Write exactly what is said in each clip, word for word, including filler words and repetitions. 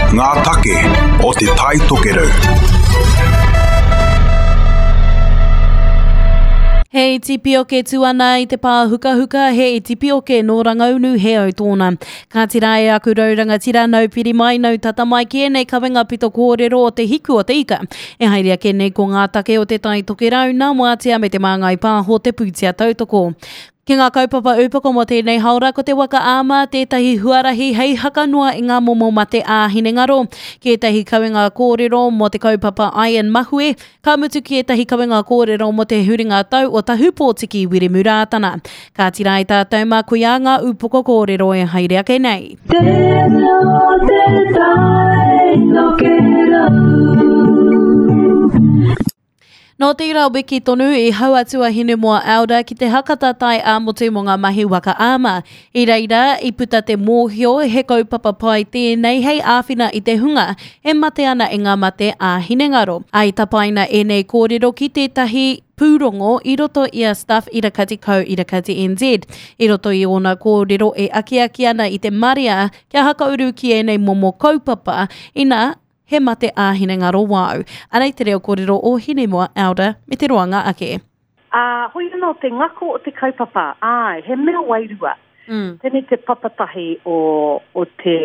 Ngā take o Te Tai Tokerau. He iti pioke tū ana i te pāhukahuka, he iti pioke nō Rangaunu he au tōna. Ka tira e aku rau rangatira nau piri mai, nau tata mai ki ēnei kawenga pito kōrero o te hiku o te ika. E haere ake nei ko ngā take o Te Tai Tokerau, nā Wātea me te Māngai Pāho te pūtea tautoko. Ki ngā kaupapa upoko mō tēnei haora, ko te waka āma tētahi huarahi hei haka noa i ngā momo mate ā-hinengaro, ki ētahi kawenga kōrero mō te kaupapa Ian Mahue, ka mutu ki ētahi kawenga kōrero mō te huringa tau o Tahupōtiki Wiremu Rātana. Ka tira i tātou mā koia ngā upoko kōrero e haere ake nei. Tēnā te tai tokerau. Nō tērā wiki tonu i hau atu a Hinemoa Elder ki te hakata tai ā-motu mō ngā mahi waka āma. I reira, i puta te mōhio he kaupapa pai tēnei hei āwhina i te hunga e mate ana i ngā mate ā-hinengaro. Ā, i tapaina ēnei kōrero ki tētahi pūrongo i roto i a Stuff Irakati Co Irakati N Z. I roto i ōna kōrero e akiaki ana i te marea kia hakauru ki ēnei momo kaupapa, ina he mate ā-hinengaro wāu. Anei te reo kōrero o Hinemoa Elder me te roanga ake. Ā, hoi anō te ngako o te kaupapa, āe, he mea wairua. Mm. Tēnei te papatahi o, o te,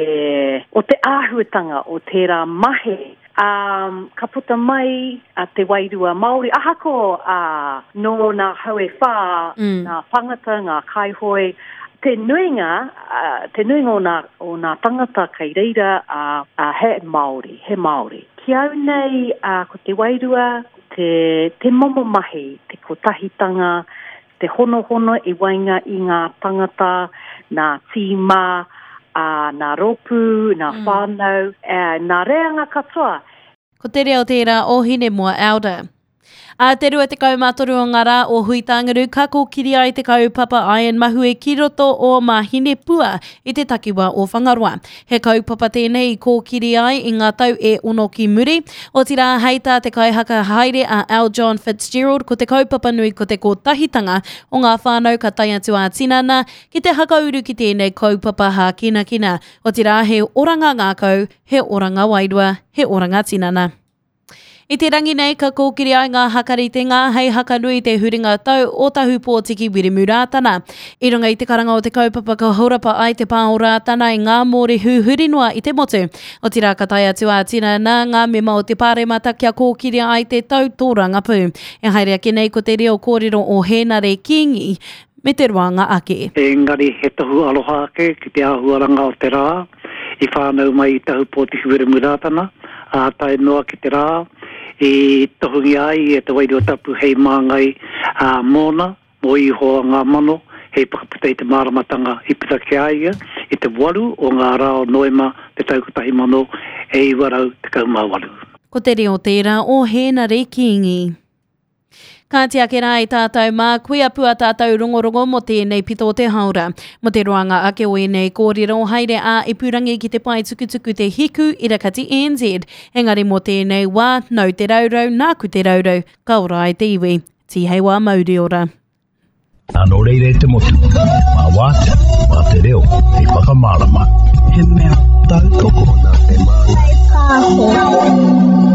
o te āhuatanga o tērā mahi. Um, ka puta mai a te wairua Māori, ahako a, nō nā hau e whā, Mm. nā tangata, ngā kaihoe, te nuinga, uh, te nuinga o nā, o nā tangata kei reira, uh, uh, he Māori, he Māori. Ki au nei, uh, ko te wairua, te, te momo mahi, te kotahitanga, te honohono i waenga i ngā tangata, nā tīma, uh, nā rōpū, nā Mm. whānau, uh, nā reanga katoa. Ko te reo tērā o Hinemoa Elder. Ā te rua tekau mā toru o ngā rā o Huitānguru ka kōkiri ai te kaupapa Ian Mahue ki roto o Mahinepua i te takiwā o Whangaroa. He kaupapa tēnei i kōkiri ai i ngā tau e ono ki muri. Otirā hei tā te kaihaka haere a L. John Fitzgerald ko te kaupapa nui ko te kotahitanga o ngā whānau ka tae atu ā-tinana ki te hakauru ki tēnei kaupapa hākinakina. Otirā he oranga ngākau, he oranga wairua, he oranga tinana. I te rangi nei ka kōkiri ai ngā hakaritenga hei hakanui te huringa tau o Tahupōtiki Wiremu Rātana. I runga i te karanga o te kaupapa ka horapa ai te pā o Rātana i ngā mōrehu huri noa i te motu. Otirā ka tae atu ā-tinana ngā mema o te pāremata kia kōkiri ai te tau tōrangapū. E haere ake nei ko te reo kōrero o Hēnare Kingi me te roanga ake. Engari he tohu aroha ake ki te āhuaranga o te rā, i whānau mai i Tahupōtiki Wiremu Rātana, ā tae noa ki te rā, i tohungia ai e te wairua tapu hei māngai, ā, mōna, mō Ihoa ngā mano, hei whakaputa i te māramatanga i puta ki a ia i te waru o ngā rā o Noema te tau kotahi mano e iwa rau tekau mā waru. Ko te reo tērā o Hēnare Kingi. Kāti ake rā i tātou mā, kuia pua tātou rongorongo mō tēnei pito o te haora. Mō te roanga ake o ēnei kōrero haere ā ipurangi ki te pae tukutuku te hiku irakati N Z. Engari mō tēnei wā, nau te raurau, nāku te raurau, ka ora ai te iwi. Tihei wā mauri ora. Nā reira e te motu, mā wātea, mā te reo, hei whakamārama. He mea tautoko nā te māngai pāho.